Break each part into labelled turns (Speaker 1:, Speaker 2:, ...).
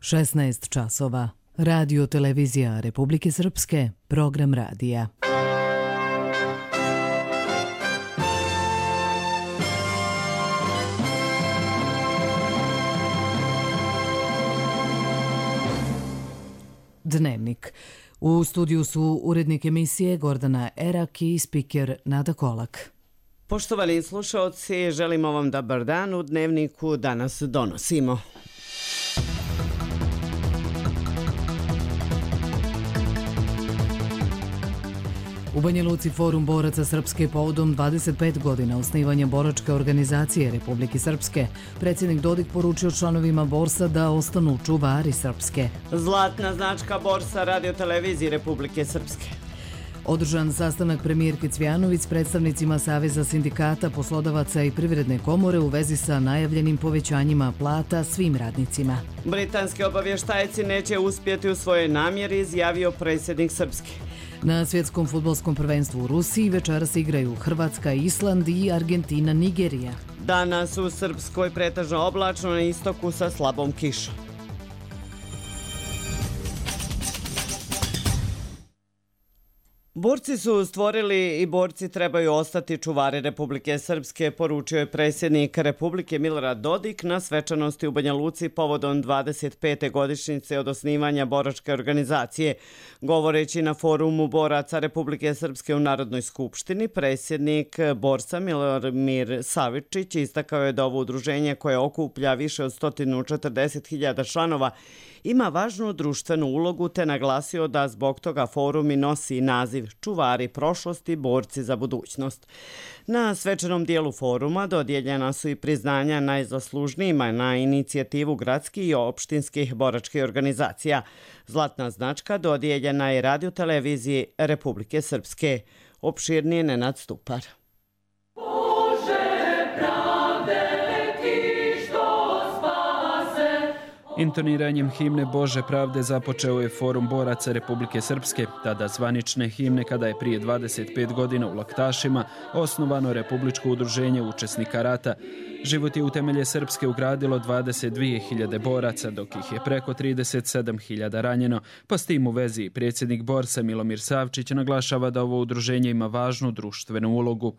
Speaker 1: 16 časova. Radio televizija Republike Srpske, program radija. Dnevnik. U studiju su urednik emisije Gordana Erak i spiker Nada Kolak.
Speaker 2: Poštovani slušaoci, želimo vam dobar dan. U Dnevniku danas donosimo.
Speaker 1: U Banja Luci Forum boraca Srpske povodom 25 godina osnivanja boračke organizacije Republike Srpske. Predsjednik Dodik poručio članovima borsa da ostanu čuvari Srpske.
Speaker 2: Zlatna značka borsa radiotelevizije Republike Srpske.
Speaker 1: Održan sastanak premijerke Cvjanović s predstavnicima Saveza sindikata, poslodavaca i Privredne komore u vezi sa najavljenim povećanjima plata svim radnicima.
Speaker 2: Britanski obavještajci neće uspjeti u svojoj namjeri, izjavio predsjednik Srpske.
Speaker 1: Na svjetskom fudbalskom prvenstvu u Rusiji večeras igraju Hrvatska, Island i Argentina, Nigerija.
Speaker 2: Danas u Srpskoj pretežno oblačno, na istoku sa slabom kišom. Borci su stvorili i borci trebaju ostati čuvari Republike Srpske, poručio je predsjednik Republike Milorad Dodik na svečanosti u Banja Luci povodom 25. godišnjice od osnivanja boračke organizacije. Govoreći na forumu boraca Republike Srpske u Narodnoj skupštini, predsjednik borca Milomir Savičić istakao je da ovo udruženje koje okuplja više od 140.000 članova ima važnu društvenu ulogu, te naglasio da zbog toga forum i nosi naziv Čuvari prošlosti, borci za budućnost. Na svečanom dijelu foruma dodijeljena su i priznanja najzaslužnijima na inicijativu gradskih i opštinskih boračkih organizacija. Zlatna značka dodijeljena je radioteleviziji Republike Srpske. Opširnije Nenad Stupar.
Speaker 3: Intoniranjem himne Bože pravde započeo je Forum boraca Republike Srpske, tada zvanične himne kada je prije 25 godina u Laktašima osnovano Republičko udruženje učesnika rata. Život je u temelje Srpske ugradilo 22.000 boraca, dok ih je preko 37.000 ranjeno, pa s tim u vezi predsjednik borsa Milomir Savčić naglašava da ovo udruženje ima važnu društvenu ulogu.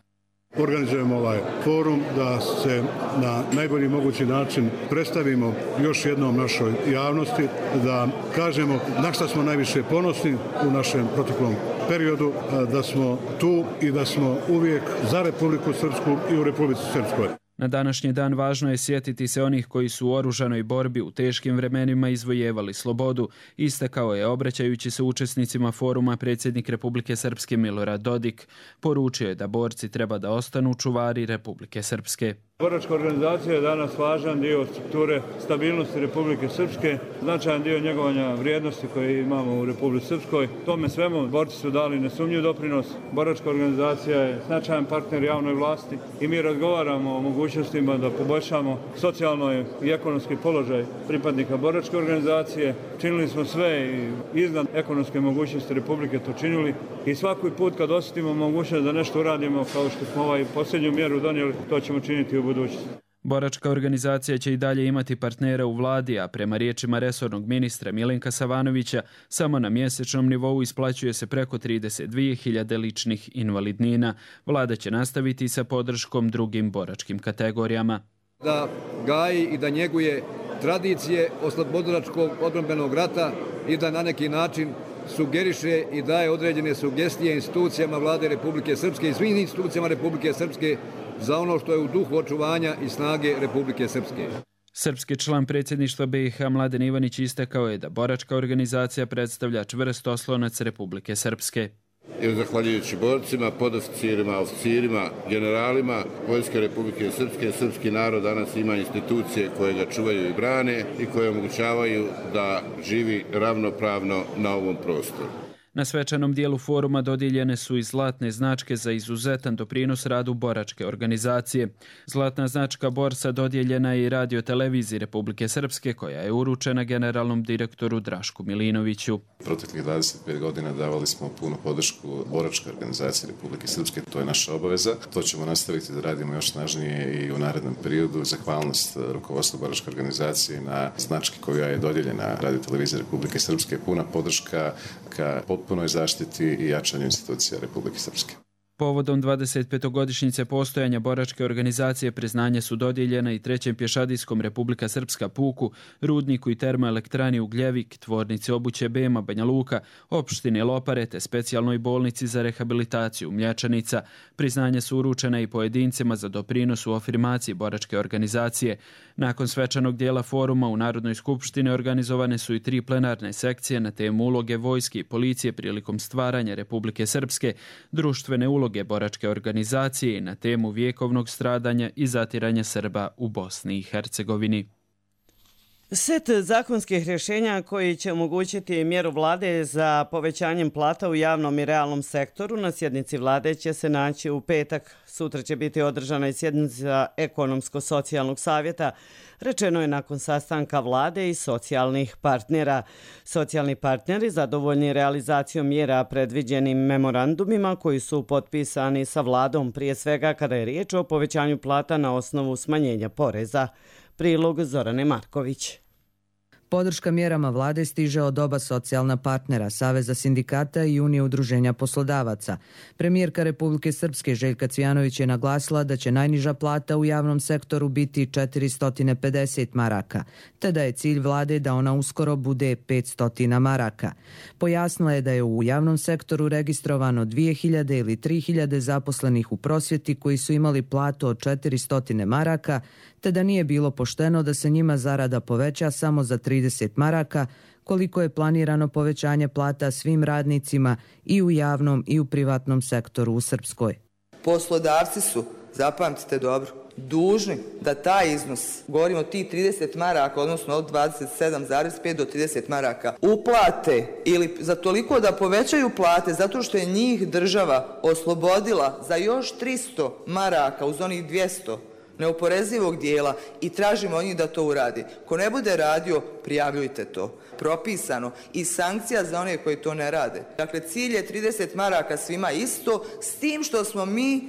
Speaker 4: Organizujemo ovaj forum da se na najbolji mogući način predstavimo još jednom našoj javnosti, da kažemo na šta smo najviše ponosni u našem proteklom periodu, da smo tu i da smo uvijek za Republiku Srpsku i u Republici Srpskoj.
Speaker 3: Na današnji dan važno je sjetiti se onih koji su u oružanoj borbi u teškim vremenima izvojevali slobodu, istakao je obraćajući se učesnicima foruma predsjednik Republike Srpske Milorad Dodik. Poručio je da borci treba da ostanu čuvari Republike Srpske.
Speaker 5: Boračka organizacija je danas važan dio strukture stabilnosti Republike Srpske, značajan dio njegovanja vrijednosti koje imamo u Republici Srpskoj. Tome svemu borci su dali nesumnjiv doprinos. Boračka organizacija je značajan partner javnoj vlasti i mi razgovaramo o mogućnostima da poboljšamo socijalno i ekonomski položaj pripadnika boračke organizacije. Činili smo sve i iznad ekonomske mogućnosti Republike to činili i svaki put kad osjetimo mogućnost da nešto uradimo kao što smo posljednju mjeru donijeli, to ćemo činiti u budućnosti.
Speaker 3: Boračka organizacija će i dalje imati partnera u vladi, a prema riječima resornog ministra Milenka Savanovića, samo na mjesečnom nivou isplaćuje se preko 32.000 ličnih invalidnina. Vlada će nastaviti sa podrškom drugim boračkim kategorijama.
Speaker 6: Da gaji i da njeguje tradicije oslobodilačkog odbrambenog rata i da na neki način sugeriše i daje određene sugestije institucijama Vlade Republike Srpske i svim institucijama Republike Srpske za ono što je u duhu očuvanja i snage Republike Srpske.
Speaker 3: Srpski član predsjedništva BiH Mladen Ivanić istakao je da boračka organizacija predstavlja čvrst oslonac Republike Srpske.
Speaker 7: Jer zahvaljujući borcima, podoficirima, oficirima, generalima Vojske Republike Srpske, srpski narod danas ima institucije koje ga čuvaju i brane i koje omogućavaju da živi ravnopravno na ovom prostoru.
Speaker 3: Na svečanom dijelu foruma dodijeljene su i zlatne značke za izuzetan doprinos radu boračke organizacije. Zlatna značka Borsa dodijeljena je i Radio-televiziji Republike Srpske, koja je uručena generalnom direktoru Drašku Milinoviću.
Speaker 8: Proteklih 25 godina davali smo punu podršku boračkoj organizaciji Republike Srpske, to je naša obaveza. To ćemo nastaviti da radimo još snažnije i u narednom periodu. Zahvalnost rukovodstvu boračke organizacije na znački koja je dodijeljena Radio-televiziji Republike Srpske, puna podrška ka potpunoj zaštiti i jačanju institucija Republike Srpske.
Speaker 3: Povodom 25-godišnjice postojanja boračke organizacije priznanje su dodijeljena i Trećem pješadijskom Republika Srpska puku, rudniku i termoelektrani Ugljevik, tvornici obuće Bema Banja Luka, opštine Lopare te specijalnoj bolnici za rehabilitaciju Mlječanica. Priznanje su uručena i pojedincima za doprinos u afirmaciji boračke organizacije. Nakon svečanog dijela foruma u Narodnoj skupštini organizovane su i 3 plenarne sekcije na temu uloge vojske i policije prilikom stvaranja Republike Srpske, društvene uloge boračke organizacije na temu vjekovnog stradanja i zatiranja Srba u Bosni i Hercegovini.
Speaker 2: Set zakonskih rješenja koji će omogućiti mjeru vlade za povećanjem plata u javnom i realnom sektoru na sjednici vlade će se naći u petak. Sutra će biti održana i sjednica ekonomsko-socijalnog savjeta, rečeno je nakon sastanka vlade i socijalnih partnera. Socijalni partneri zadovoljni realizacijom mjera predviđenim memorandumima koji su potpisani sa vladom, prije svega kada je riječ o povećanju plata na osnovu smanjenja poreza. Prilog Zorane Marković.
Speaker 9: Podrška mjerama vlade stiže od oba socijalna partnera, Saveza sindikata i Unije udruženja poslodavaca. Premijerka Republike Srpske Željka Cvijanović je naglasila da će najniža plata u javnom sektoru biti 450 maraka, te da je cilj vlade da ona uskoro bude 500 maraka. Pojasnila je da je u javnom sektoru registrovano 2000 ili 3000 zaposlenih u prosvjeti koji su imali platu od 400 maraka, te da nije bilo pošteno da se njima zarada poveća samo za 30 maraka, koliko je planirano povećanje plata svim radnicima i u javnom i u privatnom sektoru u Srpskoj.
Speaker 10: Poslodavci su, zapamtite dobro, dužni da taj iznos, govorimo o tih 30 maraka, odnosno od 27,5 do 30 maraka, uplate ili za toliko da povećaju plate zato što je njih država oslobodila za još 300 maraka uz onih 200 neoporezivog dijela i tražimo od njih da to uradi. Ko ne bude radio, prijavljujte to. Propisano i sankcija za one koji to ne rade. Dakle, cilj je 30 maraka svima isto, s tim što smo mi,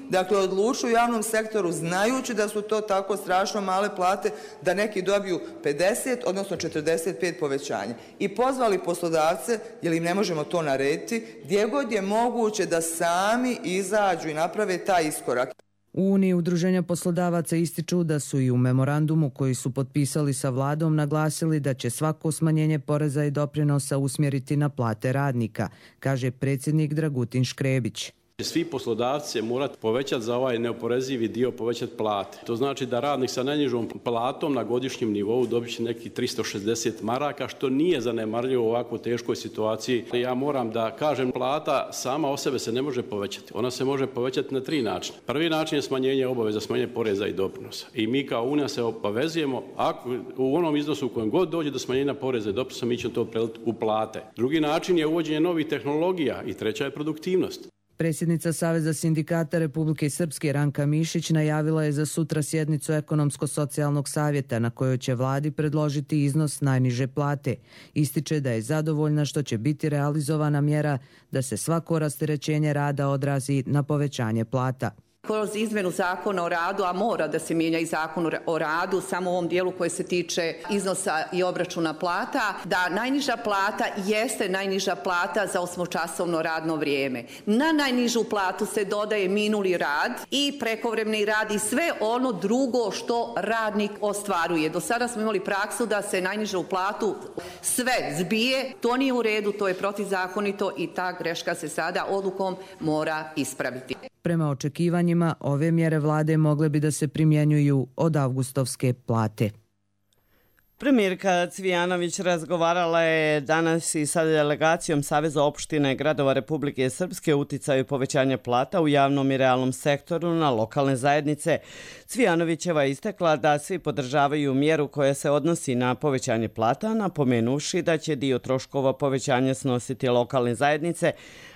Speaker 10: odlučili u javnom sektoru, znajući da su to tako strašno male plate, da neki dobiju 50, odnosno 45 povećanja. I pozvali poslodavce, jer im ne možemo to narediti, gdje god je moguće da sami izađu i naprave taj iskorak.
Speaker 9: U Uniji udruženja poslodavaca ističu da su i u memorandumu koji su potpisali sa vladom naglasili da će svako smanjenje poreza i doprinosa usmjeriti na plate radnika, kaže predsjednik Dragutin Škrebić.
Speaker 11: Svi poslodavci će morati povećati za ovaj neoporezivi dio, povećati plate. To znači da radnik sa najnižom platom na godišnjem nivou dobit će neki 360 maraka, što nije zanemarljivo u ovako teškoj situaciji. Ja moram da kažem, plata sama o sebe se ne može povećati. Ona se može povećati na 3 načina. Prvi način je smanjenje obaveza, smanjenje poreza i doprinosa. I mi kao Unija se obavezujemo, ako u onom iznosu u kojem god dođe do smanjenja poreza i doprinosa, mi ćemo to preliti u plate. Drugi način je uvođenje novih tehnologija i treća je produktivnost.
Speaker 9: Predsjednica Saveza sindikata Republike Srpske Ranka Mišić najavila je za sutra sjednicu ekonomsko-socijalnog savjeta na kojoj će vladi predložiti iznos najniže plate. Ističe da je zadovoljna što će biti realizovana mjera da se svako rasterećenje rada odrazi na povećanje plata.
Speaker 12: Kroz izmjenu zakona o radu, a mora da se mijenja i zakon o radu, samo u ovom dijelu koji se tiče iznosa i obračuna plata, da najniža plata jeste najniža plata za 8-časovno radno vrijeme. Na najnižu platu se dodaje minuli rad i prekovremeni rad i sve ono drugo što radnik ostvaruje. Do sada smo imali praksu da se najnižu platu sve zbije, to nije u redu, to je protizakonito i ta greška se sada odlukom mora ispraviti.
Speaker 9: Prema očekivanjima, ove mjere vlade mogle bi da se primjenjuju od avgustovske plate.
Speaker 2: Premijerka Cvijanović razgovarala je danas i sa delegacijom Saveza opština i gradova Republike Srpske o uticaju povećanja plata u javnom i realnom sektoru na lokalne zajednice. Cvijanovićeva je istakla da svi podržavaju mjeru koja se odnosi na povećanje plata, napomenuvši da će dio troškova povećanja snositi lokalne zajednice,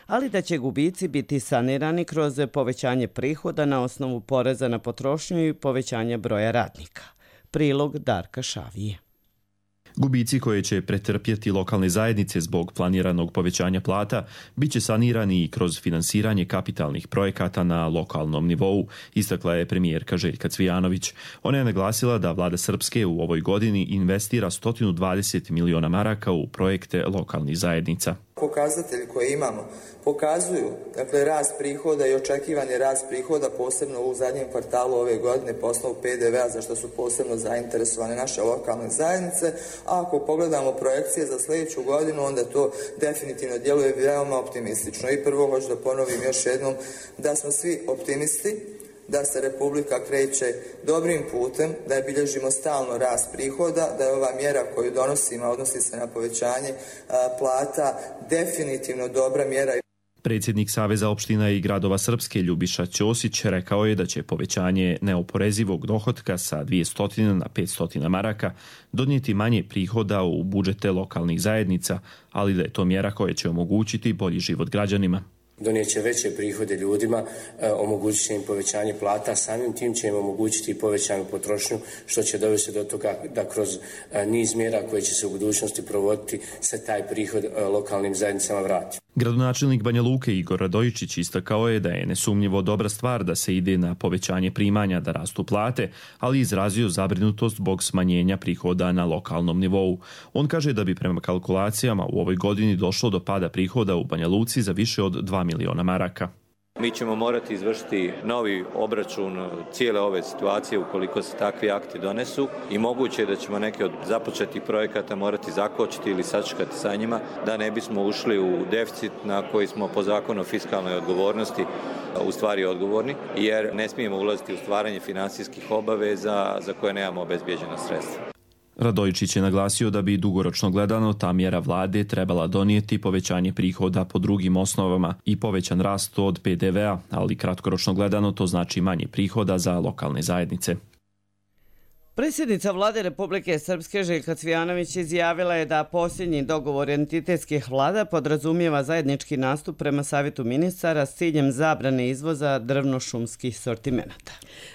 Speaker 2: ali da će gubici biti sanirani kroz povećanje prihoda na osnovu poreza na potrošnju i povećanja broja radnika. Prilog Darka Šavije.
Speaker 13: Gubici koje će pretrpjeti lokalne zajednice zbog planiranog povećanja plata biće sanirani i kroz finansiranje kapitalnih projekata na lokalnom nivou, istakla je premijerka Željka Cvijanović. Ona je naglasila da vlada Srpske u ovoj godini investira 120 miliona maraka u projekte lokalnih zajednica.
Speaker 10: Pokazatelji koje imamo pokazuju rast prihoda i očekivani rast prihoda posebno u zadnjem kvartalu ove godine po osnovu PDV-a za što su posebno zainteresovane naše lokalne zajednice, a ako pogledamo projekcije za sljedeću godinu onda to definitivno djeluje veoma optimistično. I prvo hoću da ponovim još jednom da smo svi optimisti, da se Republika kreće dobrim putem, da je bilježimo stalno rast prihoda, da je ova mjera koju donosimo, odnosi se na povećanje plata, definitivno dobra mjera.
Speaker 13: Predsjednik Saveza opština i gradova Srpske Ljubiša Ćosić rekao je da će povećanje neoporezivog dohotka sa 200 na 500 maraka donijeti manje prihoda u budžete lokalnih zajednica, ali da je to mjera koja će omogućiti bolji život građanima.
Speaker 14: Donijet će veće prihode ljudima, omogućit će im povećanje plata, samim tim će im omogućiti i povećanu potrošnju, što će dovesti do toga da kroz niz mjera koje će se u budućnosti provoditi se taj prihod lokalnim zajednicama vrati.
Speaker 13: Gradonačelnik Banja Luke Igor Radojičić istakao je da je nesumnjivo dobra stvar da se ide na povećanje primanja da rastu plate, ali izrazio zabrinutost zbog smanjenja prihoda na lokalnom nivou. On kaže da bi prema kalkulacijama u ovoj godini došlo do pada prihoda u Banja Luci za više od 2 miliona maraka.
Speaker 15: Mi ćemo morati izvršiti novi obračun cijele ove situacije ukoliko se takvi akti donesu i moguće je da ćemo neke od započetih projekata morati zakočiti ili sačekati sa njima da ne bismo ušli u deficit na koji smo po zakonu o fiskalnoj odgovornosti u stvari odgovorni, jer ne smijemo ulaziti u stvaranje finansijskih obaveza za koje nemamo obezbijeđena sredstva.
Speaker 13: Radojičić je naglasio da bi dugoročno gledano ta mjera vlade trebala donijeti povećanje prihoda po drugim osnovama i povećan rast od PDV-a, ali kratkoročno gledano to znači manje prihoda za lokalne zajednice.
Speaker 2: Predsjednica vlade Republike Srpske Željka Cvijanović izjavila je da posljednji dogovor entitetskih vlada podrazumijeva zajednički nastup prema Savjetu ministara s ciljem zabrane izvoza drvno-šumskih sortimenata.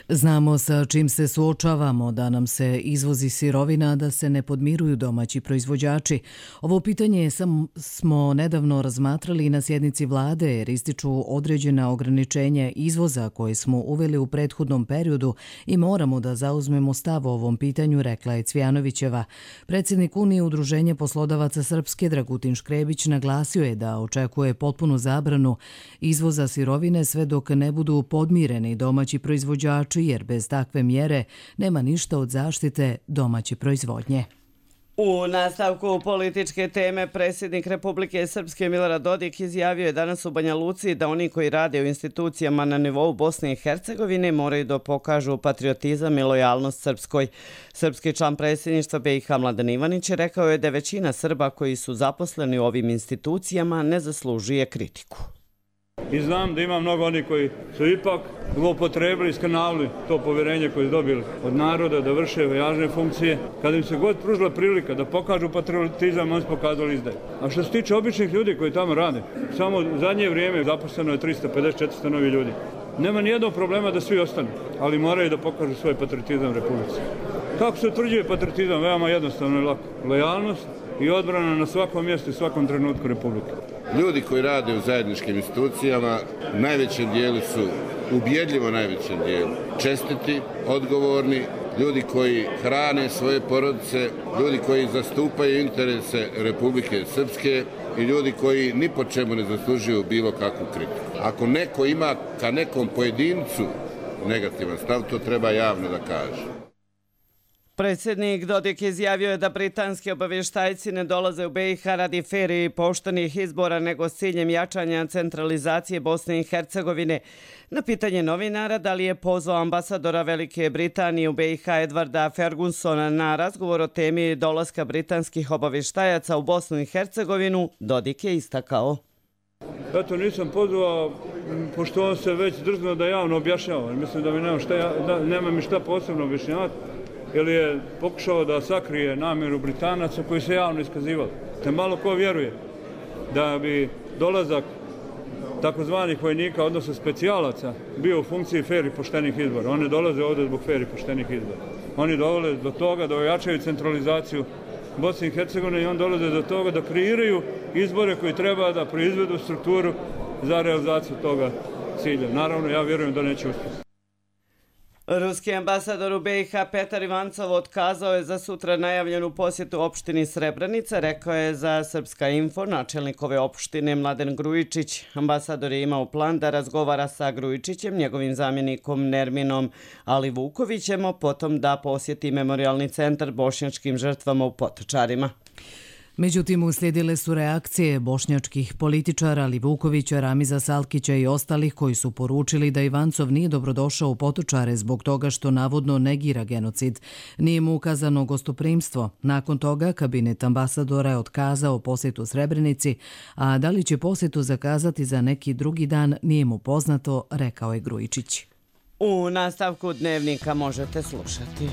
Speaker 1: Znamo sa čim se suočavamo, da nam se izvozi sirovina, da se ne podmiruju domaći proizvođači. Ovo pitanje smo nedavno razmatrali na sjednici vlade jer ističu određena ograničenja izvoza koje smo uveli u prethodnom periodu i moramo da zauzmemo stav o ovom pitanju, rekla je Cvijanovićeva. Predsjednik Unije Udruženja poslodavaca Srpske Dragutin Škrebić naglasio je da očekuje potpunu zabranu izvoza sirovine sve dok ne budu podmireni domaći proizvođači, jer bez takve mjere nema ništa od zaštite domaće proizvodnje.
Speaker 2: U nastavku političke teme predsjednik Republike Srpske Milorad Dodik izjavio je danas u Banja Luci da oni koji rade u institucijama na nivou Bosne i Hercegovine moraju da pokažu patriotizam i lojalnost Srpskoj. Srpski član predsjedništva BiH Mladen Ivanić rekao je da većina Srba koji su zaposleni u ovim institucijama ne zaslužuje kritiku.
Speaker 5: I znam da ima mnogo onih koji su ipak zloupotrebili, skanalili to povjerenje koje su dobili od naroda da vrše važne funkcije. Kada im se god pružila prilika da pokažu patriotizam, oni su pokazali izdaju. A što se tiče običnih ljudi koji tamo rade, samo u zadnje vrijeme zaposleno je 350-400 novi ljudi. Nema nijednog problema da svi ostanu, ali moraju da pokažu svoj patriotizam Republici. Kako se utvrđuje patriotizam? Veoma jednostavno i lako. Lojalnost i odbrana na svakom mjestu i svakom trenutku Republike.
Speaker 7: Ljudi koji rade u zajedničkim institucijama u najvećem dijelu su, ubjedljivo najvećem dijelu, čestiti, odgovorni, ljudi koji hrane svoje porodice, ljudi koji zastupaju interese Republike Srpske i ljudi koji ni po čemu ne zaslužuju bilo kakvu kritiku. Ako neko ima ka nekom pojedincu negativan stav, to treba javno da kaže.
Speaker 2: Predsjednik Dodik izjavio je da britanski obavještajci ne dolaze u BiH radi fer i poštenih izbora, nego s ciljem jačanja centralizacije Bosne i Hercegovine. Na pitanje novinara da li je pozvao ambasadora Velike Britanije u BiH Edwarda Fergusona na razgovor o temi dolaska britanskih obavještajaca u Bosnu i Hercegovinu, Dodik je istakao.
Speaker 5: Eto, nisam pozvao, pošto on se već drznuo da javno objašnjava. Mislim da mi nema mi šta posebno objašnjavati, jer je pokušao da sakrije namjeru Britanaca koji se javno iskazivali. Te malo ko vjeruje da bi dolazak takozvanih vojnika, odnosno specijalaca, bio u funkciji fer i poštenih izbora. Oni dolaze ovdje zbog fer i poštenih izbora. Oni dolaze do toga da ojačaju centralizaciju Bosne i Hercegovine i on dolaze do toga da kreiraju izbore koji treba da proizvedu strukturu za realizaciju toga cilja. Naravno, ja vjerujem da neće uspjeti.
Speaker 2: Ruski ambasador u BiH Petar Ivancov otkazao je za sutra najavljenu posjetu opštini Srebrenica, rekao je za Srpska info načelnik ove opštine Mladen Grujičić. Ambasador je imao plan da razgovara sa Grujičićem, njegovim zamjenikom Nerminom Alivukovićem, potom da posjeti memorialni centar bošnjačkim žrtvama u Potočarima.
Speaker 1: Međutim, uslijedile su reakcije bošnjačkih političara Alivukovića, Ramiza Salkića i ostalih koji su poručili da Ivancov nije dobrodošao u Potočare zbog toga što navodno negira genocid. Nije mu ukazano gostoprimstvo. Nakon toga kabinet ambasadora je otkazao posjetu Srebrenici, a da li će posjetu zakazati za neki drugi dan nije mu poznato, rekao je Grujičić.
Speaker 2: U nastavku dnevnika možete slušati.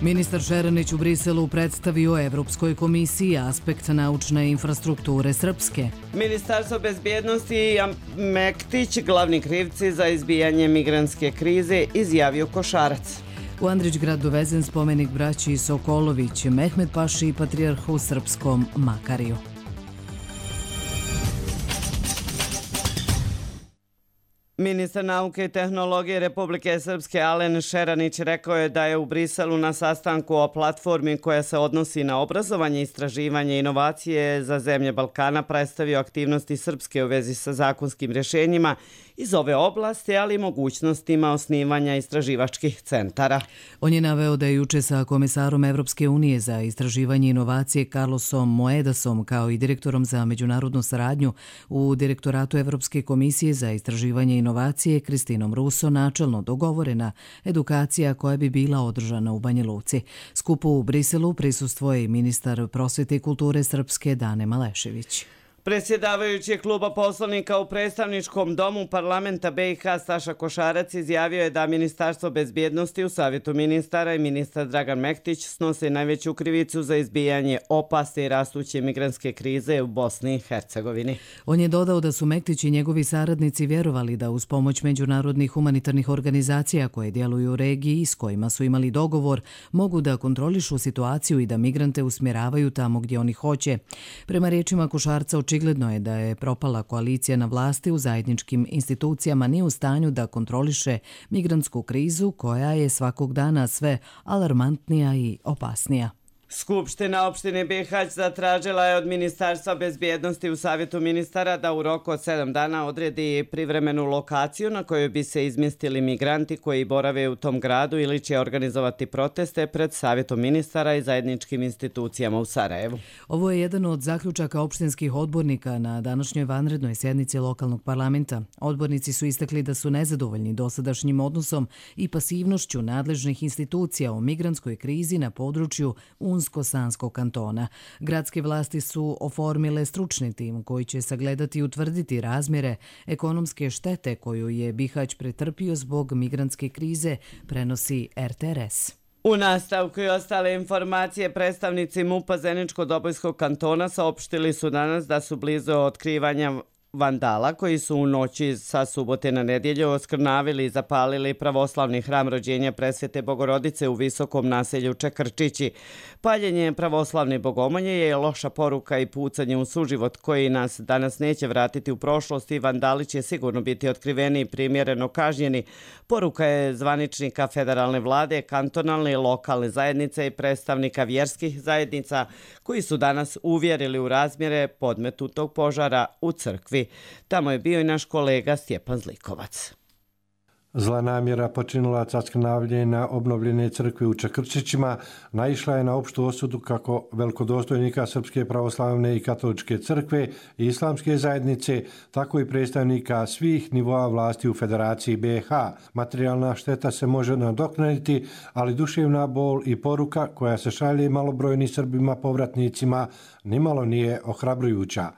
Speaker 1: Ministar Šeranić u Briselu predstavio Evropskoj komisiji aspekt naučne infrastrukture Srpske.
Speaker 2: Ministarstvo bezbjednosti i Mektić, glavni krivci za izbijanje migrantske krize, izjavio Košarac.
Speaker 1: U Andrićgrad dovezen spomenik braći Sokolović, Mehmet Paši i patrijarhu srpskom Makariju.
Speaker 2: Ministar nauke i tehnologije Republike Srpske Alen Šeranić rekao je da je u Briselu na sastanku o platformi koja se odnosi na obrazovanje, istraživanje i inovacije za zemlje Balkana predstavio aktivnosti Srpske u vezi sa zakonskim rješenjima iz ove oblasti, ali i mogućnostima osnivanja istraživačkih centara.
Speaker 1: On je naveo da je juče sa komisarom Evropske unije za istraživanje i inovacije Carlosom Moedasom kao i direktorom za međunarodnu saradnju u Direktoratu Evropske komisije za istraživanje i inovacije Kristinom Ruso načelno dogovorena edukacija koja bi bila održana u Banja Luci. Skupu u Briselu prisustvuje i ministar prosvete i kulture Srpske Dane Malešević.
Speaker 2: Predsjedavajući kluba poslanika u predstavničkom domu parlamenta BiH Staša Košarac izjavio je da Ministarstvo bezbjednosti u Savjetu ministara i ministar Dragan Mektić snose najveću krivicu za izbijanje opasne i rastuće migrantske krize u Bosni i Hercegovini.
Speaker 1: On je dodao da su Mektić i njegovi saradnici vjerovali da uz pomoć međunarodnih humanitarnih organizacija koje djeluju u regiji i s kojima su imali dogovor mogu da kontrolišu situaciju i da migrante usmjeravaju tamo gdje oni hoće. Prema riječima Košarca, očigledno je da je propala koalicija na vlasti u zajedničkim institucijama nije u stanju da kontroliše migrantsku krizu koja je svakog dana sve alarmantnija i opasnija.
Speaker 2: Skupština opštine Bihać zatražila je od Ministarstva bezbjednosti u Savjetu ministara da u roku od 7 dana odredi privremenu lokaciju na kojoj bi se izmjestili migranti koji borave u tom gradu ili će organizovati proteste pred Savjetom ministara i zajedničkim institucijama u Sarajevu.
Speaker 1: Ovo je jedan od zaključaka opštinskih odbornika na današnjoj vanrednoj sjednici lokalnog parlamenta. Odbornici su istakli da su nezadovoljni dosadašnjim odnosom i pasivnošću nadležnih institucija u migrantskoj krizi na području Unsko-Sanskog kantona. Gradske vlasti su oformile stručni tim koji će sagledati i utvrditi razmjere ekonomske štete koju je Bihać pretrpio zbog migrantske krize, prenosi RTRS.
Speaker 2: U nastavku i ostale informacije predstavnici MUP-a Zeničko-Dobojskog kantona saopštili su danas da su blizu otkrivanja vandala koji su u noći sa subote na nedjelju oskrnavili i zapalili pravoslavni hram rođenja Presvete Bogorodice u visokom naselju Čekrčići. Paljenje pravoslavne bogomolje je loša poruka i pucanje u suživot koji nas danas neće vratiti u prošlost i vandali će sigurno biti otkriveni i primjereno kažnjeni. Poruka je zvaničnika federalne vlade, kantonalne i lokalne zajednice i predstavnika vjerskih zajednica koji su danas uvjerili u razmjere podmetutog požara u crkvi. Tamo je bio i naš kolega Stjepan Zlikovac.
Speaker 16: Zla namjera počinilaca skrnavljenja obnovljene crkve u Čakrčićima naišla je na opštu osudu kako velikodostojnika Srpske pravoslavne i katoličke crkve i islamske zajednice, tako i predstavnika svih nivoa vlasti u Federaciji BiH. Materijalna šteta se može nadoknaditi, ali duševna bol i poruka koja se šalje malobrojnim Srbima povratnicima nimalo nije ohrabrujuća.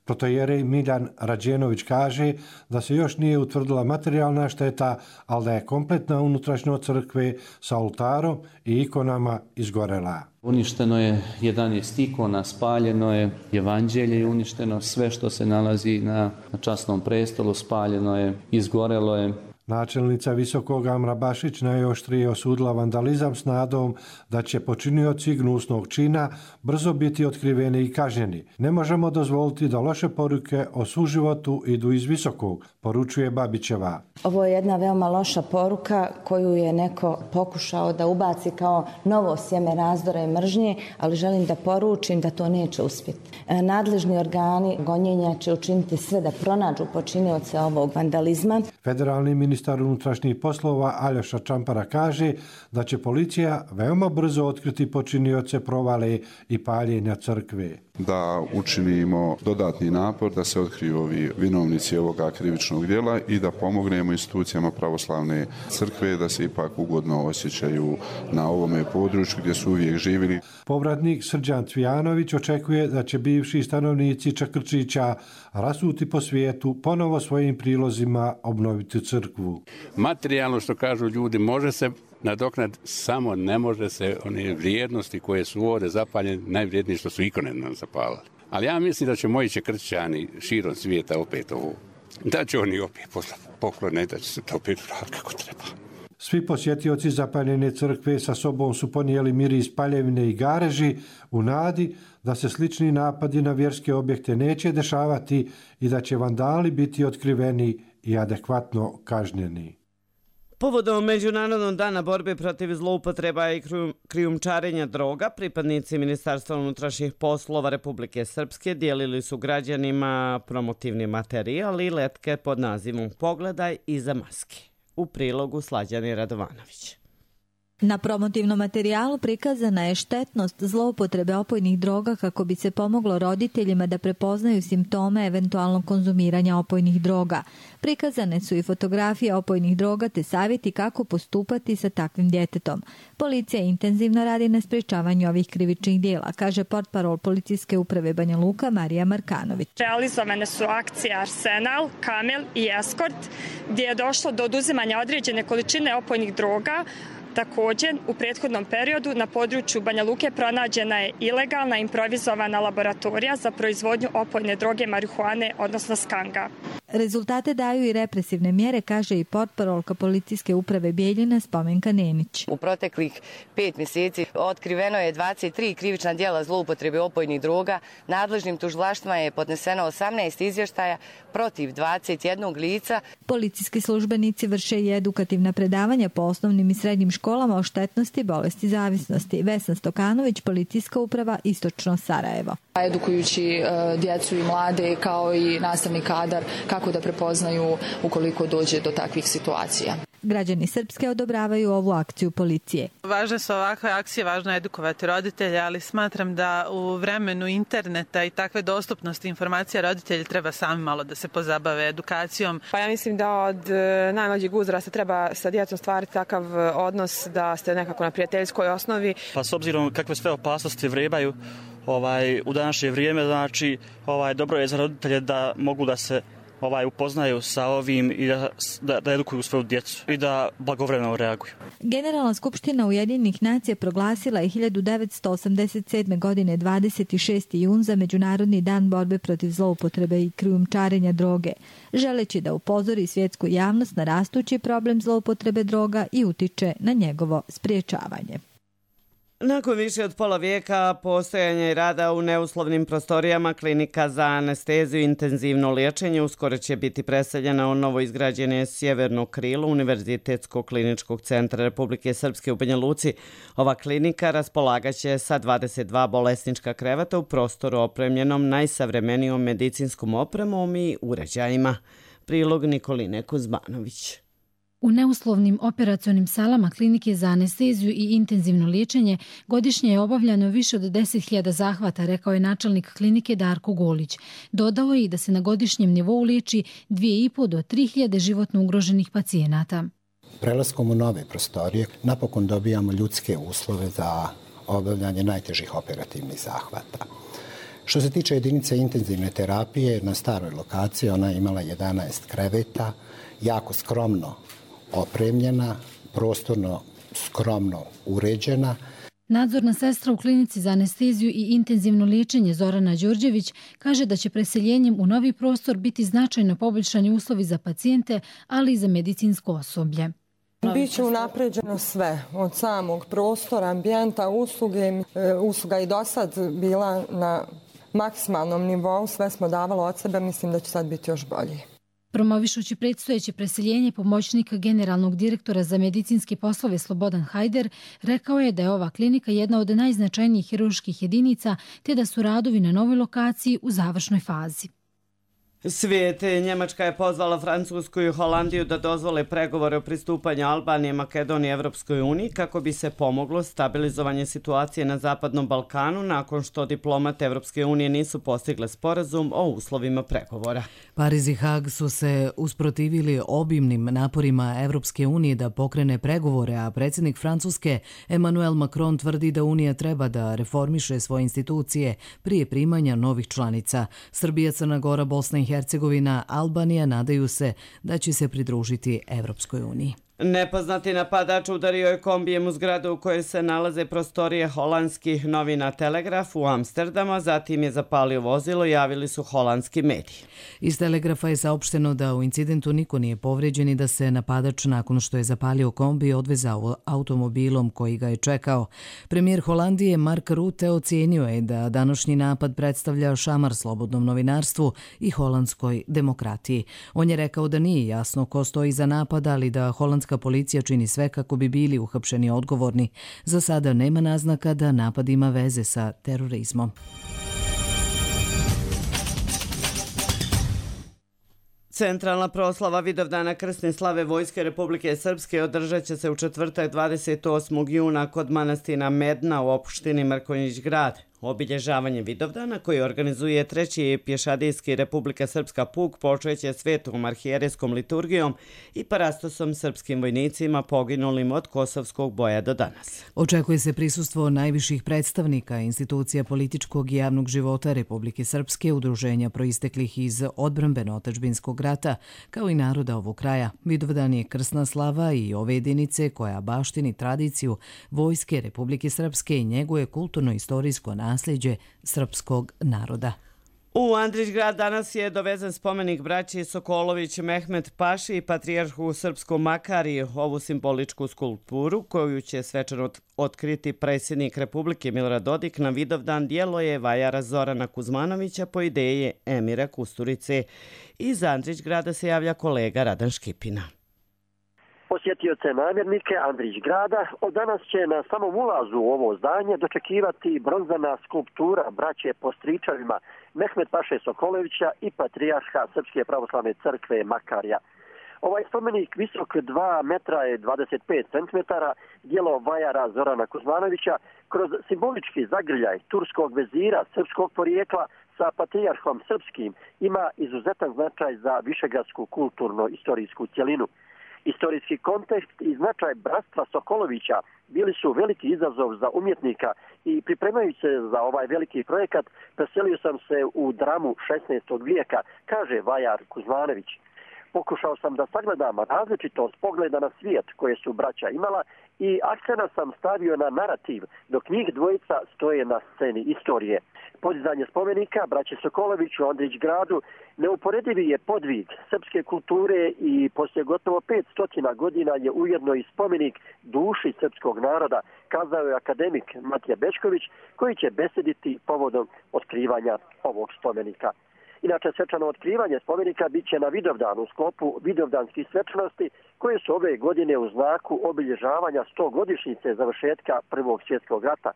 Speaker 16: Protojerej Miljan Rađenović kaže da se još nije utvrdila materijalna šteta, ali da je kompletna unutrašnjost crkve sa oltarom i ikonama izgorela.
Speaker 17: Uništeno je 11 ikona, spaljeno je evanđelje i uništeno sve što se nalazi na časnom prestolu, spaljeno je, izgorelo je.
Speaker 16: Načelnica Visokog Amra Bašić najoštrije osudila vandalizam s nadom da će počinioci gnusnog čina brzo biti otkriveni i kažnjeni. Ne možemo dozvoliti da loše poruke o suživotu idu iz Visokog, poručuje Babićeva.
Speaker 18: Ovo je jedna veoma loša poruka koju je neko pokušao da ubaci kao novo sjeme razdora i mržnje, ali želim da poručim da to neće uspjeti. Nadležni organi gonjenja će učiniti sve da pronađu počinioce ovog vandalizma.
Speaker 16: Federalni ministar unutrašnjih poslova Aljoša Čampara kaže da će policija veoma brzo otkriti počinioce provale i paljenja crkve.
Speaker 19: Da učinimo dodatni napor da se otkriju ovi vinovnici ovoga krivičnog djela i da pomognemo institucijama pravoslavne crkve da se ipak ugodno osjećaju na ovome području gdje su uvijek živjeli.
Speaker 16: Povratnik Srđan Cvijanović očekuje da će bivši stanovnici Čakrčića rasuti po svijetu ponovo svojim prilozima obnoviti crkvu.
Speaker 20: Materijalno, što kažu ljudi, može se nadoknad, samo ne može se one vrijednosti koje su ovdje zapaljene, najvrijednije što su ikone nam zapalili. Ali ja mislim da će moji Čakrčićani širom svijeta opet ovo, da će oni opet poslati poklone, da će se to opet uraditi kako treba.
Speaker 16: Svi posjetioci zapaljene crkve sa sobom su ponijeli miris paljevine i gareži u nadi da se slični napadi na vjerske objekte neće dešavati i da će vandali biti otkriveni i adekvatno kažnjeni.
Speaker 2: Povodom Međunarodnog dana borbe protiv zloupotreba i krijumčarenja droga, pripadnici Ministarstva unutrašnjih poslova Republike Srpske dijelili su građanima promotivni materijal i letke pod nazivom Pogledaj iza maske. U prilogu Slađani Radovanović.
Speaker 21: Na promotivnom materijalu prikazana je štetnost zloupotrebe opojnih droga kako bi se pomoglo roditeljima da prepoznaju simptome eventualnog konzumiranja opojnih droga. Prikazane su i fotografije opojnih droga te savjeti kako postupati sa takvim djetetom. Policija intenzivno radi na sprječavanju ovih krivičnih dijela, kaže portparol Policijske uprave Banja Luka Marija Markanović.
Speaker 22: Realizovane su akcije Arsenal, Kamel i Eskort, gdje je došlo do oduzimanja određene količine opojnih droga. Također, u prethodnom periodu na području Banja Luke pronađena je ilegalna improvizovana laboratorija za proizvodnju opojne droge marihuane, odnosno skanga.
Speaker 21: Rezultate daju i represivne mjere, kaže i portparolka Policijske uprave Bijeljina Spomenka Nenić.
Speaker 23: U proteklih 5 mjeseci otkriveno je 23 krivična djela zloupotrebe opojnih droga. Nadležnim tužilaštvima je podneseno 18 izvještaja protiv 21 lica.
Speaker 21: Policijski službenici vrše i edukativna predavanja po osnovnim i srednjim školama o štetnosti bolesti zavisnosti. Vesna Stokanović, Policijska uprava Istočno Sarajevo.
Speaker 24: Edukujući djecu i mlade kao i nastavni kadar kako da prepoznaju ukoliko dođe do takvih situacija.
Speaker 21: Građani Srpske odobravaju ovu akciju policije.
Speaker 25: Važne su ovakve akcije, važno je edukovati roditelje, ali smatram da u vremenu interneta i takve dostupnosti informacija roditelji treba sami malo da se pozabave edukacijom.
Speaker 26: Pa ja mislim da od najmlađeg uzrasta treba sa djecom stvariti takav odnos da ste nekako na prijateljskoj osnovi.
Speaker 27: Pa s obzirom kakve sve opasnosti vrebaju u današnje vrijeme, znači dobro je za roditelje da mogu da se upoznaju sa ovim i da edukuju svoju djecu i da blagovremeno reaguju.
Speaker 21: Generalna skupština Ujedinjenih nacija proglasila je 1987. godine 26. jun za Međunarodni dan borbe protiv zloupotrebe i krijumčarenja droge, želeći da upozori svjetsku javnost na rastući problem zloupotrebe droga i utiče na njegovo spriječavanje.
Speaker 2: Nakon više od pola vijeka postojanja i rada u neuslovnim prostorijama, klinika za anesteziju i intenzivno liječenje uskoro će biti preseljena u novo izgrađene sjeverno krilo Univerzitetskog kliničkog centra Republike Srpske u Banja Luci. Ova klinika raspolagaće sa 22 bolesnička kreveta u prostoru opremljenom najsavremenijom medicinskom opremom i uređajima. Prilog Nikoline Kuzmanović.
Speaker 3: U neuslovnim operacionim salama klinike za anesteziju i intenzivno liječenje godišnje je obavljano više od 10.000 zahvata, rekao je načelnik klinike Darko Golić. Dodao je i da se na godišnjem nivou liječi 2.500 do 3.000 životno ugroženih pacijenata.
Speaker 4: Prelaskom u nove prostorije napokon dobijamo ljudske uslove za obavljanje najtežih operativnih zahvata. Što se tiče jedinice intenzivne terapije, na staroj lokaciji ona je imala 11 kreveta, jako skromno opremljena, prostorno skromno uređena.
Speaker 3: Nadzorna sestra u klinici za anesteziju i intenzivno liječenje Zorana Đorđević kaže da će preseljenjem u novi prostor biti značajno poboljšani uslovi za pacijente, ali i za medicinsko osoblje.
Speaker 6: Biće unapređeno sve, od samog prostora, ambijenta, usluge. Usluga i do sad bila na maksimalnom nivou, sve smo davali od sebe, mislim da će sad biti još bolje.
Speaker 3: Promovišući predstojeće preseljenje, pomoćnik generalnog direktora za medicinske poslove Slobodan Hajder rekao je da je ova klinika jedna od najznačajnijih hirurških jedinica, te da su radovi na novoj lokaciji u završnoj fazi.
Speaker 2: Svijet. Njemačka je pozvala Francusku i Holandiju da dozvole pregovore o pristupanju Albanije, Makedonije Evropskoj uniji kako bi se pomoglo stabilizovanje situacije na Zapadnom Balkanu nakon što diplomate Evropske unije nisu postigle sporazum o uslovima pregovora.
Speaker 1: Pariz i Hag su se usprotivili obimnim naporima Evropske unije da pokrene pregovore, a predsjednik Francuske Emmanuel Macron tvrdi da Unija treba da reformiše svoje institucije prije primanja novih članica. Srbija, Crna Gora, Bosna i Hercegovina, Albanija nadaju se da će se pridružiti Evropskoj uniji.
Speaker 2: Nepoznati napadač udario je kombijem u zgradu u kojoj se nalaze prostorije holandskih novina Telegraf u Amsterdamu, zatim je zapalio vozilo, javili su holandski mediji.
Speaker 1: Iz Telegrafa je saopšteno da u incidentu niko nije povređen i da se napadač nakon što je zapalio kombi odvezao automobilom koji ga je čekao. Premijer Holandije Mark Rutte ocijenio je da današnji napad predstavlja šamar slobodnom novinarstvu i holandskoj demokratiji. On je rekao da nije jasno ko stoji za napad, ali da holandska policija čini sve kako bi bili uhapšeni odgovorni. Za sada nema naznaka da napad ima veze sa terorizmom.
Speaker 2: Centralna proslava Vidovdana krsne slave Vojske Republike Srpske održat će se u četvrtak 28. juna kod manastira Medna u opštini Mrkonjić Grad. Obilježavanje Vidovdana koji organizuje treći pješadijski Republika Srpska puk počeće svetom arhijerejskom liturgijom i parastosom srpskim vojnicima poginulim od kosovskog boja do danas.
Speaker 1: Očekuje se prisustvo najviših predstavnika institucija političkog i javnog života Republike Srpske, udruženja proisteklih iz odbrambeno-otadžbinskog rata, kao i naroda ovog kraja. Vidovdan je krsna slava i ove jedinice koja baštini tradiciju Vojske Republike Srpske i njeguje kulturno-istorijsko nasljeđe srpskog naroda.
Speaker 2: U Andrić grad danas je dovezen spomenik braći Sokolović Mehmet Paši i patrijarhu srpskom Makariju. Ovu simboličku skulpturu koju će svečano otkriti predsjednik Republike Milorad Dodik na Vidovdan djelo je vajara Zorana Kuzmanovića po ideji Emira Kusturice. Iz Andrić grada se javlja kolega Radan Škipina.
Speaker 8: Posjetioce namjernike Andrić grada od danas će na samom ulazu u ovo zdanje dočekivati bronzana skulptura braće po stričevima Mehmet Paše Sokolovića i patrijarha Srpske pravoslavne crkve Makarija. Ovaj spomenik visok 2 metra i 25 centimetara, djelo vajara Zorana Kuzmanovića, kroz simbolički zagrljaj turskog vezira srpskog porijekla sa patrijarhom srpskim ima izuzetan značaj za višegradsku kulturno-istorijsku cjelinu. Istorijski kontekst i značaj bratstva Sokolovića bili su veliki izazov za umjetnika i pripremajući se za ovaj veliki projekat preselio sam se u dramu 16. vijeka, kaže vajar Kuzmanović. Pokušao sam da sagledam različitost pogleda na svijet koje su braća imala i akcena sam stavio na narativ, dok njih dvojica stoje na sceni istorije. Podizanje spomenika braće Sokolović u Andrić gradu neuporedivi je podvig srpske kulture i poslije gotovo 500 godina je ujedno i spomenik duši srpskog naroda, kazao je akademik Matija Bečković, koji će besediti povodom otkrivanja ovog spomenika. Inače, svečano otkrivanje spomenika bit će na Vidovdanu u sklopu vidovdanskih svečanosti koje su ove godine u znaku obilježavanja 100-godišnjice završetka Prvog svjetskog rata.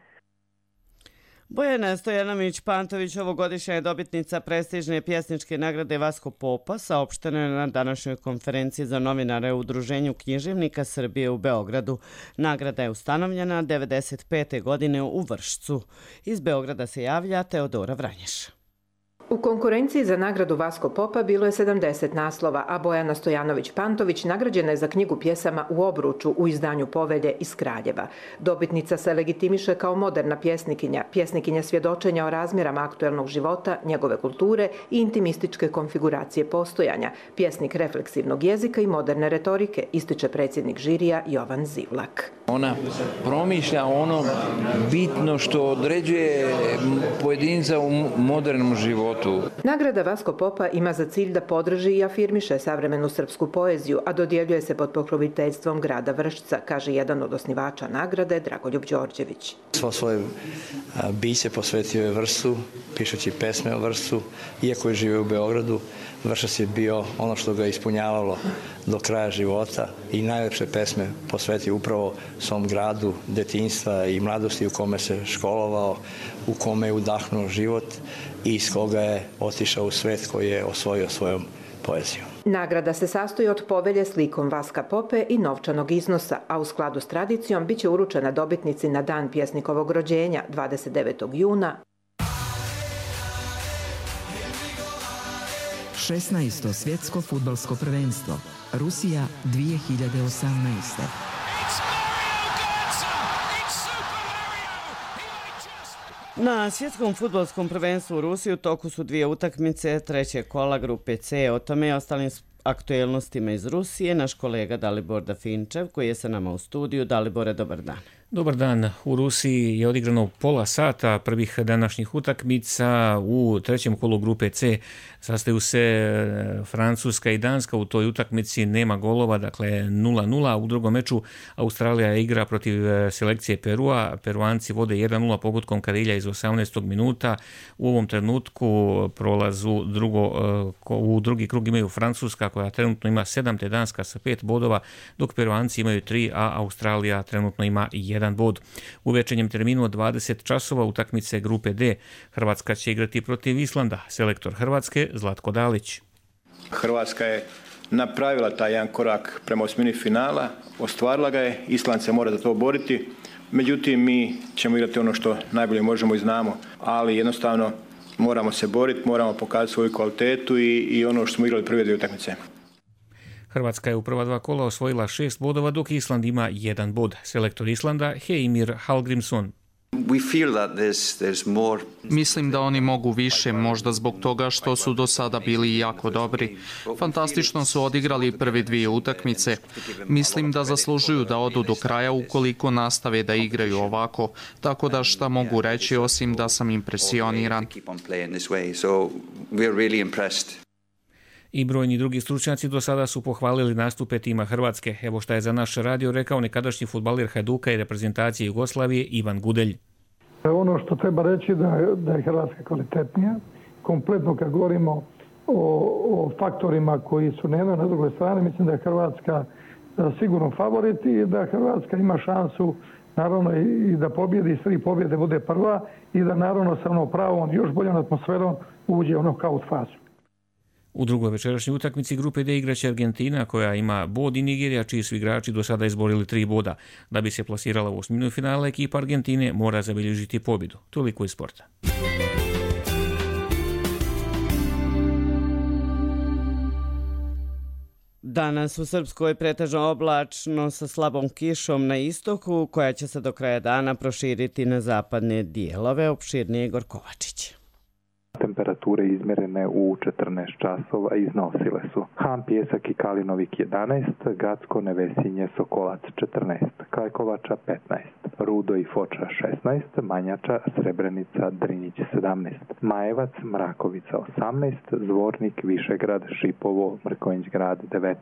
Speaker 2: Bojana Stojanović-Pantović ovogodišnja je dobitnica prestižne pjesničke nagrade Vasko Popa, saopšteno je na današnjoj konferenciji za novinare u Udruženju književnika Srbije u Beogradu. Nagrada je ustanovljena 1995. godine u Vršcu. Iz Beograda se javlja Teodora Vranješ.
Speaker 9: U konkurenciji za nagradu Vasko Popa bilo je 70 naslova, a Bojana Stojanović-Pantović nagrađena je za knjigu pjesama U obruču u izdanju Povelje iz Kraljeva. Dobitnica se legitimiše kao moderna pjesnikinja svjedočenja o razmjerama aktuelnog života, njegove kulture i intimističke konfiguracije postojanja, pjesnik refleksivnog jezika i moderne retorike, ističe predsjednik žirija Jovan Zivlak.
Speaker 10: Ona promišlja ono bitno što određuje pojedinca u modernom životu.
Speaker 9: Nagrada Vasko Popa ima za cilj da podrži i afirmiše savremenu srpsku poeziju, a dodjeljuje se pod pokroviteljstvom grada Vršca, kaže jedan od osnivača nagrade, Dragoljub Đorđević.
Speaker 11: Svo svoje biće posvetio je Vršcu, pišući pesme o Vršcu, iako je živio u Beogradu. Vršac je bio ono što ga ispunjavalo do kraja života i najlepše pesme posvetio upravo svom gradu, detinjstva i mladosti u kome se školovao, u kome je udahnuo život i iz koga je otišao u svet koji je osvojio svojom poezijom.
Speaker 9: Nagrada se sastoji od povelje s likom Vaska Pope i novčanog iznosa, a u skladu s tradicijom biće uručena dobitnici na dan pjesnikovog rođenja 29. juna.
Speaker 12: 16. svjetsko fudbalsko prvenstvo. Rusija 2018.
Speaker 2: Na svjetskom fudbalskom prvenstvu u Rusiji u toku su dvije utakmice trećeg kola grupe C. O tome i ostalim aktuelnostima iz Rusije naš kolega Dalibor Dafinčev koji je sa nama u studiju. Dalibore, dobar dan.
Speaker 13: Dobar dan. U Rusiji je odigrano pola sata prvih današnjih utakmica. U trećem kolu grupe C sastaju se Francuska i Danska. U toj utakmici nema golova, dakle 0-0. U drugom meču Australija igra protiv selekcije Perua. Peruanci vode 1-0 pogodkom Karilja iz 18. minuta. U ovom trenutku prolazu u drugi krug imaju Francuska koja trenutno ima 7, te Danska sa 5 bodova, dok Peruanci imaju 3, a Australija trenutno ima 1 bod. U večernjem terminu od 20 časova utakmice grupe D Hrvatska će igrati protiv Islanda. Selektor Hrvatske Zlatko Dalić.
Speaker 14: Hrvatska je napravila taj jedan korak prema osmini finala, ostvarila ga je, Island se mora za to boriti, međutim mi ćemo igrati ono što najbolje možemo i znamo, ali jednostavno moramo se boriti, moramo pokazati svoju kvalitetu i ono što smo igrali prve dvije utakmice.
Speaker 13: Hrvatska je u prva dva kola osvojila 6 bodova, dok Island ima 1 bod. Selektor Islanda Heimir Hallgrímsson.
Speaker 15: Mislim da oni mogu više, možda zbog toga što su do sada bili jako dobri. Fantastično su odigrali prve dvije utakmice. Mislim da zaslužuju da odu do kraja ukoliko nastave da igraju ovako. Tako da šta mogu reći osim da sam impresioniran.
Speaker 13: I brojni drugi stručnjaci do sada su pohvalili nastupe tima Hrvatske. Evo šta je za naš radio rekao nekadašnji fudbaler Hajduka i reprezentacije Jugoslavije Ivan Gudelj.
Speaker 28: Ono što treba reći da je Hrvatska kvalitetnija. Kompletno kad govorimo o faktorima koji su na jednoj na drugoj strani, mislim da je Hrvatska sigurno favorit i da Hrvatska ima šansu naravno i da pobjedi, s 3 pobjede bude prva i da naravno sa pravom još boljom atmosferom uđe u nokaut fazu.
Speaker 13: U drugoj večerašnjoj utakmici grupe D igraće Argentina koja ima bod i Nigerija čiji su igrači do sada izborili 3 boda. Da bi se plasirala u osminu finala, ekipa Argentine mora zabilježiti pobjedu. Toliko iz sporta.
Speaker 2: Danas u Srpskoj pretežno oblačno sa slabom kišom na istoku koja će se do kraja dana proširiti na zapadne dijelove. Opširnije Igor Kovačić.
Speaker 29: Temperature izmjerene u 14 časova iznosile su Han, Pjesak i Kalinovik 11, Gacko, Nevesinje, Sokolac 14, Kajkovača 15, Rudo i Foča 16, Manjača, Srebrenica, Drinjić 17, Majevac, Mrakovica 18, Zvornik, Višegrad, Šipovo, Mrkonjić-grad 19,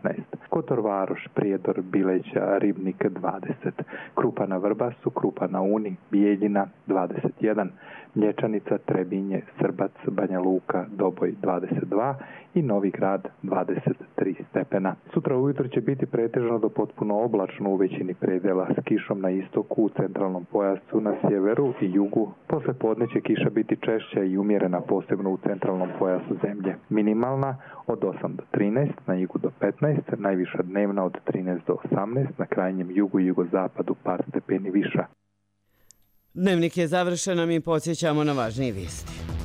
Speaker 29: Kotor Varoš, Prijedor, Bileća, Ribnik 20, Krupa na Vrbasu, Krupa na Uni, Bijeljina 21, Mlječanica, Trebinje, Srbac, Banja Luka, Doboj 22 i Novi Grad 23 stepena. Sutra ujutro će biti pretežno do potpuno oblačno u većini predjela s kišom na istoku, u centralnom pojasu na sjeveru i jugu. Posle podne će kiša biti češća i umjerena, posebno u centralnom pojasu zemlje. Minimalna od 8 do 13, na jugu do 15, najviša dnevna od 13 do 18, na krajnjem jugu i jugozapadu par stepeni viša.
Speaker 2: Dnevnik je završen, a mi podsjećamo na važnije vijesti.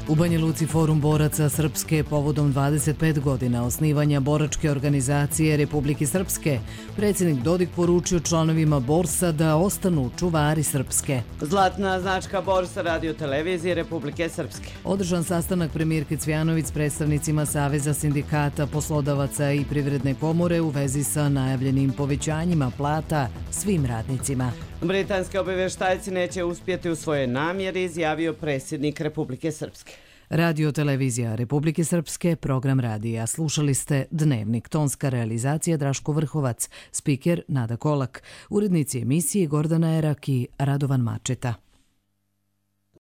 Speaker 1: U Banja Luci forum boraca Srpske povodom 25 godina osnivanja boračke organizacije Republike Srpske. Predsjednik Dodik poručio članovima borsa da ostanu čuvari Srpske.
Speaker 2: Zlatna značka borsa radio televizije Republike Srpske.
Speaker 1: Održan sastanak premijerke Cvjanović s predstavnicima Saveza sindikata, poslodavaca i Privredne komore u vezi sa najavljenim povećanjima plata svim radnicima.
Speaker 2: Britanski obavještajci neće uspjeti u svojoj namjeri, izjavio predsjednik Republike Srpske.
Speaker 1: Radio televizija Republike Srpske, program radija. Slušali ste Dnevnik, tonska realizacija Draško Vrhovac, spiker Nada Kolak, urednici emisije Gordana Erak i Radovan Mačeta.